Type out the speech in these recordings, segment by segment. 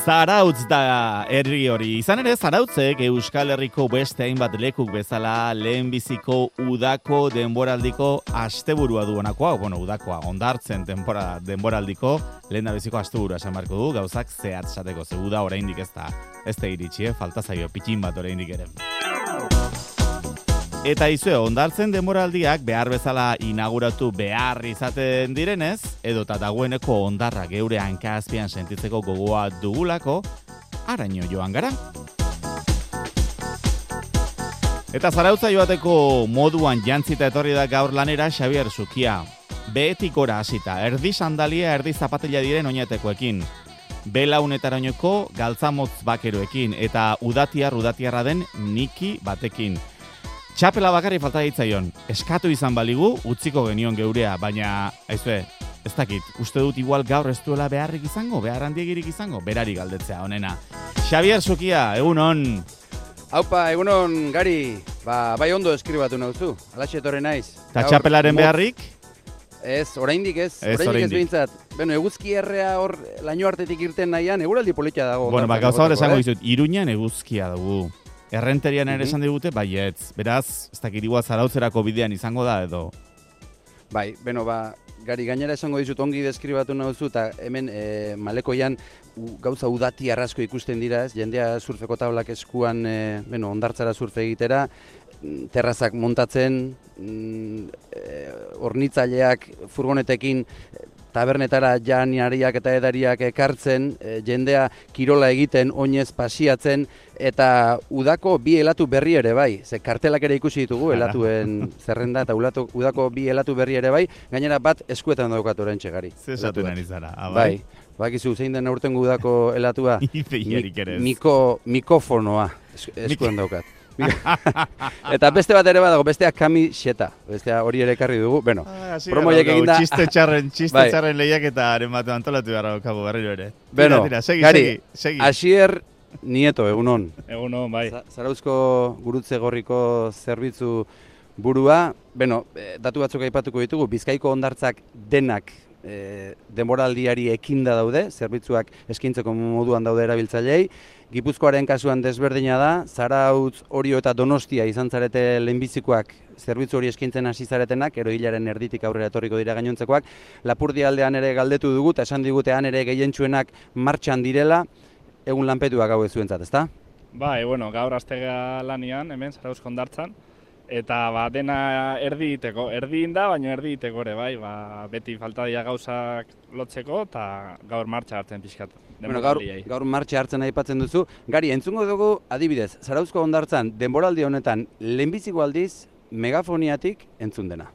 Zarautz da herri hori. Izan ere, Zarautzek Euskal Herriko beste hainbat lekuk bezala lehenbiziko udako denboraldiko asteburua du honakoa, udakoa, hondartzen denboraldiko lehendabiziko asteburua esan beharko du, gauzak zehatz esateko, ze uda oraindik ez da iritsi, falta zaio pitin bat oraindik ere. Eta izue, hondartzen denboraldiak behar bezala inauguratu behar izaten direnez, edota dagoeneko hondarra geure hanka azpian sentitzeko gogoa dugulako, haraino joan gara. Eta Zarautza joateko moduan jantzita etorri da gaur lanera Xabier Sukia. Behetik gora hasita, erdi sandalia, erdi zapatila diren oinatekoekin. Belaunetarainoko galtzamotz bakeroekin eta udatiarra den Niki batekin. Txapela bakarri falta ditzaion, eskatu izan baligu, utziko genion geurea, baina, ez dakit, uste dut igual gaur ez duela beharrik izango, behar handiegirik izango, berari galdetzea honena. Xabier Sukia, egunon. Haupa, egunon, Gari, bai ondo eskribatu nauzu, alaxe etorri naiz. Ta txapelaren beharrik? Ez, oraindik ez behintzat. Beno, eguzki errea hor laino artetik irten nahian, eguraldi politia dago. Bueno, gauza hor esango dizut, Iruñan eguzkia dugu. Errenterian ere esan digute, baietz. Beraz, ez dakit igual Zarautzerako bidean izango da edo. Bai, beno, Gari, gainera esango dizut ongi deskribatu nauzu, eta hemen Malekoian gauza udati arrasko ikusten dira, jendea surfeko tablak eskuan, hondartzara surfe egitera, terrazak montatzen, hornitzaileak furgonetekin tabernetara janiariak eta edariak ekartzen, jendea kirola egiten, oinez pasiatzen, eta udako bi helatu berri ere bai. Ze kartelak ere ikusi ditugu, helatuen zerrenda, eta udako bi helatu berri ere bai, gainera bat eskuetan daukatu orentxe, Gari. Zesatu nari zara, bai. Bakizu, zein den aurten udako helatua? Mikofonoa eskuetan daukat. Eta beste bat ere badago, bestea kamiseta. Bestea hori ere ekarri dugu. Bueno, promoiek eginda... Txiste txarren lehiak eta haren batu antolatu beharra kabo berriro ere. Bueno, segi. Asier Nieto, egunon. Egunon, bai. Zarauzko gurutze gorriko zerbitzu burua. Bueno, datu batzuk aipatuko ditugu, Bizkaiko hondartzak denak denboraldiari ekinda daude, zerbitzuak eskaintzeko moduan daude erabiltzailei. Gipuzkoaren kasuan desberdina da, Zarautz, Orio eta Donostia izan zarete lehenbizikoak zerbitzu hori eskaintzen hasi zaretenak, ero hilaren erditik aurrera etorriko dira gainontzekoak. Lapurdi aldean ere galdetu dugu, eta esan digutean ere gehientsuenak martxan direla, egun lanpetuak hau zuentzat, ezta? Bai, bueno, gaur aztega lanian, hemen Zarauzko hondartzan, eta dena erdi iteko, baina erdi iteko ere, bai, beti falta dira gauzak lotzeko, eta gaur martxa hartzen pixkat. Bueno, gaur martxa hartzen aipatzen duzu. Gari, entzungo dugu adibidez, Zarauzko hondartzan denboraldi honetan lehenbiziko aldiz megafoniatik entzun dena.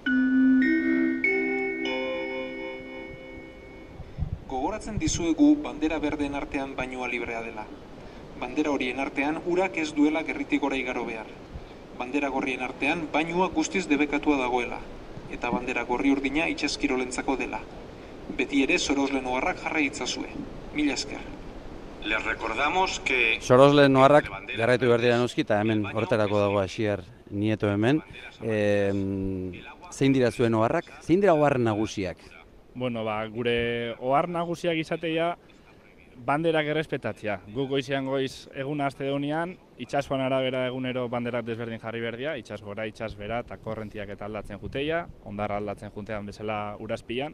Gogoratzen dizuegu bandera berdeen artean bainua librea dela. Bandera horien artean urak ez duela gerritik gora igaro behar. Bandera gorrien artean bainua guztiz debekatua dagoela, eta bandera gorri urdina itsaskirolentzako dela. Beti ere Sorosle Noarrak jarra itzazue. Mila esker. Les recordamos que... Sorosle Noarrak garraitu behar dira noski, eta hemen horretarako dago Asier Nieto hemen. Zein dira zuen oharrak? Zein dira ohar nagusiak? Bueno, gure ohar nagusiak izatea banderak errespetatzea. Guk goizean goiz egun aste deunian, itsasoan arabera egunero banderak desberdin jarri berdia, itsas gora, itsas bera, eta korrentiak eta aldatzen juteia, hondarra aldatzen juntean bezala urazpian.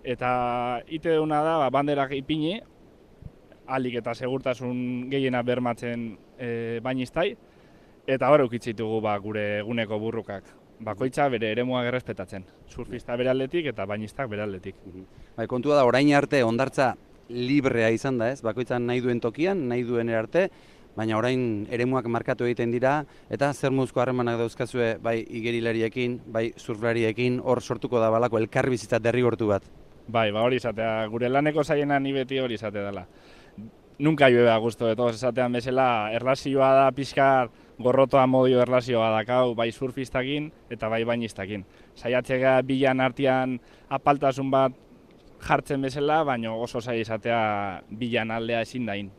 Eta ite duna da, banderak ipini, alik eta segurtasun gehiena bermatzen bainiztai, eta hor eukitzitugu gure eguneko burrukak. Bakoitza bere eremuak errespetatzen, surfista bere aldetik eta bainiztak bere aldetik. Kontua da, orain arte hondartza librea izan da, ez? Bakoitzan nahi duen tokian, nahi duen arte, baina orain eremuak markatu egiten dira, eta zer muzko harremanak dauzkazue bai igerilariekin, bai surflariekin, hor sortuko da balako elkarbizitza derrigortu bat. Bai, hori izatea, gure laneko zaiena ni beti hori izatea dela. Nunca llueve a gusto de todos esatean bezala, erlazioa da pixkar gorrotoa modio erlazioa dakau, bai surfistakin eta bai bainistakin. Saiatzea bilan artean apaltasun bat jartzen bezala, baina oso zaila izatea bilan aldea ezin dain.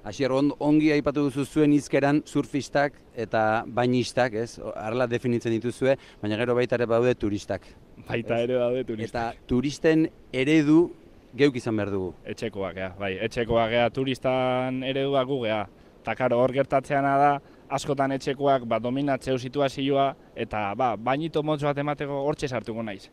Asier, ongi aipatu duzu zuen hizkeran surfistak eta bainistak, ez? Arla definitzen dituzue, baina gero baita ere badaude turistak. Baita ere daude turistak. Eta turisten eredu geuk izan behar dugu. Etxekoak, bai, etxekoak turistan eredua gu gea. Eta karo, hor gertatzeana da, askotan etxekoak dominatzeu situazioa, eta bainito motz bat emateko hortxe sartuko naiz.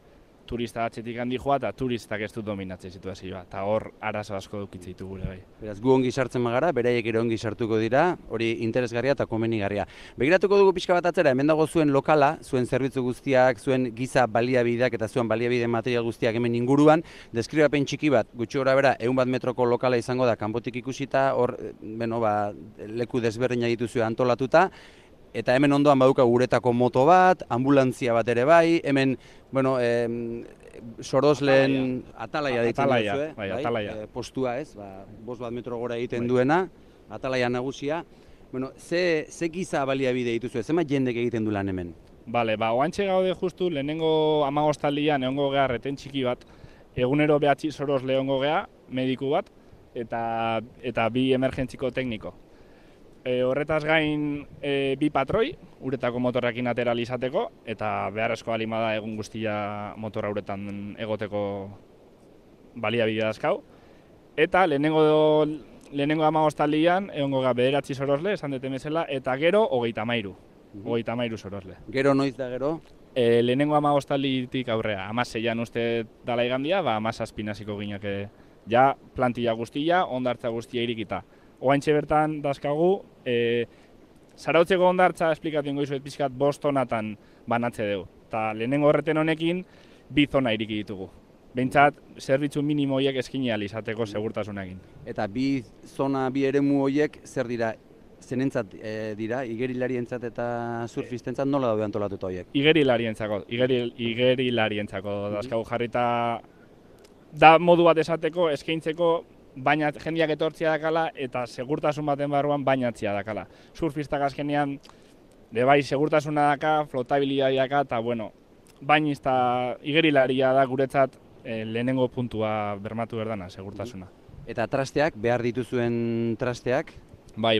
Turista atxetik handi joa eta turistak ez du dominatzen situazioa, eta hor arazo asko dukitze ditu gure bai. Beraz, gu ongi sartzen magara, beraiek ere ongi sartuko dira, hori interesgarria eta komenigarria. Begiratuko dugu pixka bat atzera, hemen dago zuen lokala, zuen zerbitzu guztiak, zuen giza baliabideak eta zuen baliabide material guztiak hemen inguruan, deskribapen txiki bat, gutxi gora bera, 100 metroko lokala izango da kanpotik ikusita, hor, leku desberdinak dituzue antolatuta, eta hemen ondoan baduka guretako moto bat, ambulantzia bat ere bai, hemen, sorosleen atalaia deitzen duzue, atalaia. Postua ez, 5 metro gora egiten duena, atalaia nagusia. Ze giza baliabide dituzue, zenbat jendek egiten du lan hemen? Bale, oantxe gaude justu, lehenengo 15 aldian egongo gea reten txiki bat, egunero 9 sorosle egongo gea, mediku bat, eta 2 emergentziko tekniko. Horretaz gain 2 patroi, uretako motorrekin atera izateko, eta beharrezko balima da egun guztia motorra uretan egoteko baliabide dazkau. Eta lehenengo 15 aldian egongo gea 9 sorosle, esan deten bezala, eta gero 33. 33 sorosle. Gero noiz da gero? Lehenengo 15 alditik aurrea, 16an uste dala igandia, 17 hasiko gineke ja plantilla guztia, hondartza guztia irikita. Oaintxe bertan dazkagu, Zarautzeko hondartza esplikatu ingo izuet pixkat 5 tonatan banatze dugu. Eta lehenengo horreten honekin 2 zona iriki ditugu. Behintzat, zerbitzu minimo horiek eskini ahal izateko segurtasunekin. Eta 2 zona, 2 eremu horiek zer dira? Zenentzat dira, igerilarientzat eta surfistentzat nola daude antolatuta horiek? Igerilarientzako dazkagu jarrita da modu bat esateko, eskaintzeko, baina jendeak etortzia dakala eta segurtasun baten barruan bainatzia dakala. Surfistak azkenean, bai segurtasuna daka, flotabilidadea daka, eta bainizta igerilaria da guretzat lehenengo puntua bermatu berdana, segurtasuna. Eta trasteak, behar dituzuen trasteak? Bai,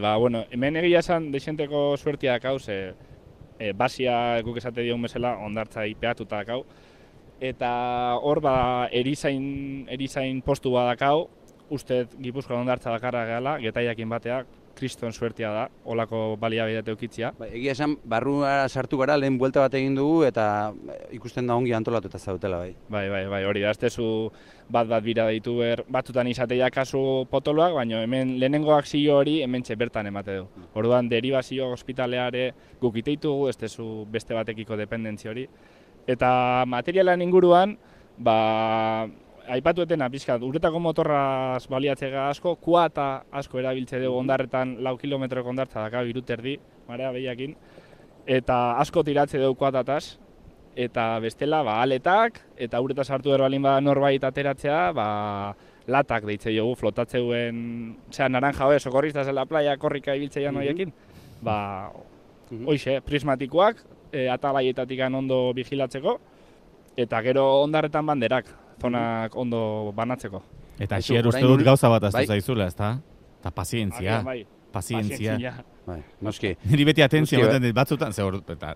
hemen egia esan deixenteko suertia dakau, basia guk esate diogun bezala hondartza ipeatuta dakau, eta hor erizain postu bat dakau, uste Gipuzkoa hondartza dakarra gehala, getaiakin bateak, kriston suertia da, olako baliabidea eukitzia. Egia esan, barruara sartu gara, lehen buelta bat egin dugu, eta ikusten da ongi antolatuta zautela, bai. Bai, hori da, ez tezu bat bira deitu batzutan izatea kasu potoloak, baina hemen lehenengoak zio hori hemen bertan emate du. Orduan, deribazio ospitaleare guk iteitugu, ez tezu beste batekiko dependentzia hori. Eta materialan inguruan, aipatu etena pixkat, uretako motorraz baliatzega asko, kuata asko erabiltze dugu ondarretan 4 kilometroko ondartza daka 3 erdi, marea behiakin, eta asko tiratze dugu kuatataz, eta bestela aletak, eta uretaz hartu erbalin norbait ateratzea, latak deitze dugu, flotatzeuen, naranja hoe, sokorrizta zela playa korrika ibiltzeian horiekin, hoize, prismatikoak, atalaietatik ondo vigilatzeko, eta gero ondarretan banderak, zonak ondo banatzeko. Eta asier uste dut gauza bat aztu zaizula, ezta? Eta pazientzia. Pazientzia. Noski. Niri beti atentzio batzutan,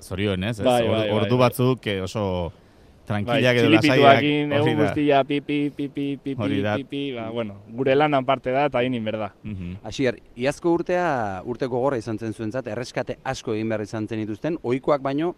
zorioen ez? Ordu batzuk oso tranquilak edo lasaiak. Txilipituakin, egun guztia, pipi, gure lanan parte da eta hinin berda. Asier, iazko urte gogorra izan zen zuentzat, erreskate asko egin behar izan zen dituzten, ohikoak baino,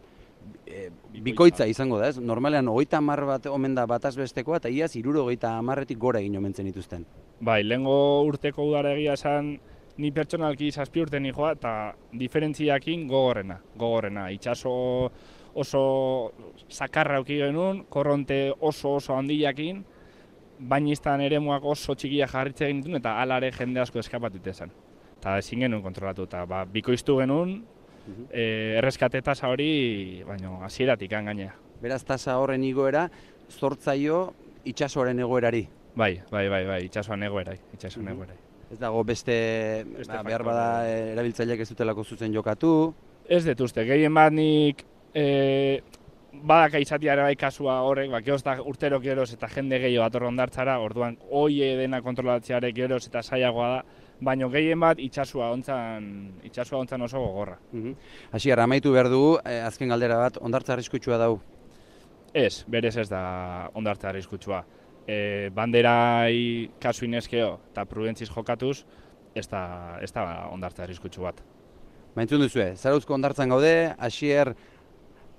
bikoitza izango da, ez? Normalean 30 bat omen da bataz besteko eta iaz 70-etik gora egin omen zen dituzten. Bai, lehengo urteko udara egia esan ni pertsonalki 7 urte nijoa eta diferentziakin gogorrena. Itxaso oso sakarra auki genuen, korronte oso handiakin, bainiztan eremuak oso txikia jarritze egin dituen eta alare jende asko eskapatute zen. Eta ezin genuen kontrolatu eta bikoiztu genuen, erreskate tasa hori, baina hasieratik gainea. Beraz, tasa horren igoera, zortzaio itxasoaren egoerari? Bai, itxasoan egoerai. Ez dago beste behar bada erabiltzaileak ez dutelako zuzen jokatu? Ez dut uste, gehien bat nik badaka izatea ere bai kasua horrek, urtero geroz eta jende gehiago dator hondartzara, orduan hoie dena kontrolatzeare geroz eta zailagoa da, baina gehien bat itxasua ontzan oso gogorra. Asier, amaitu behar dugu, azken galdera bat, hondartza arriskutsua dau? Ez, berez ez da hondartza arriskutsua. banderai kasu inezkeo eta prudentziz jokatuz, ez da ondartza arriskutsu bat. Entzun duzue, Zarauzko hondartzan gaude, Asier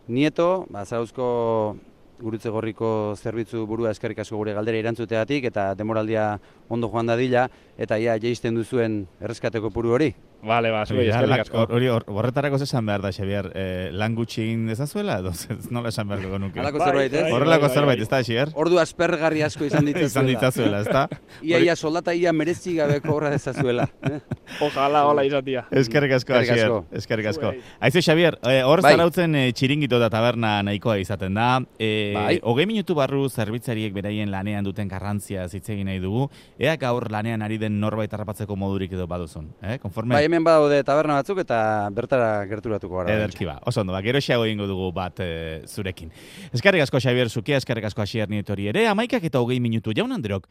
Nieto, Zarauzko Gurutze Gorriko zerbitzu burua eskerrik asko gure galdera erantzuteagatik eta demoraldia ondo joan dadila eta ia jaisten duzuen erreskateko puru hori. Bale, zuei, eskerrik asko. Horretarako esan behar da, Xabier, lan gutxi egin dezazuela, edo nola esan beharko nuke? Halako zerbait, ez? Horrelako zerbait, ez da, Xabier? Ordu aspergarri asko izan ditzazuela, ez da? Ia soldata ia merezi gabe kobra dezazuela. Ojalá, hola izatia. Eskerrik asko, Xabier. Eskerrik asko. Aizu, Xabier, hor Zarautzen txiringito eta taberna nahikoa izaten da. 20 minutu barru zerbitzariek beraien lanean duten garrantzia hitz egin nahi dugu. Ea gaur lanean ari den norbait harrapatzeko modurik edo baduzun. Konforme? Hemen badaude taberna batzuk eta bertara gerturatuko gara. Ederki ba, oso ondo, geroxeago egingo dugu bat zurekin. Eskerrik asko Xabier Zukia, eskerrik asko Asier Nietori ere, 11 eta 20 minutu jaun Andreok.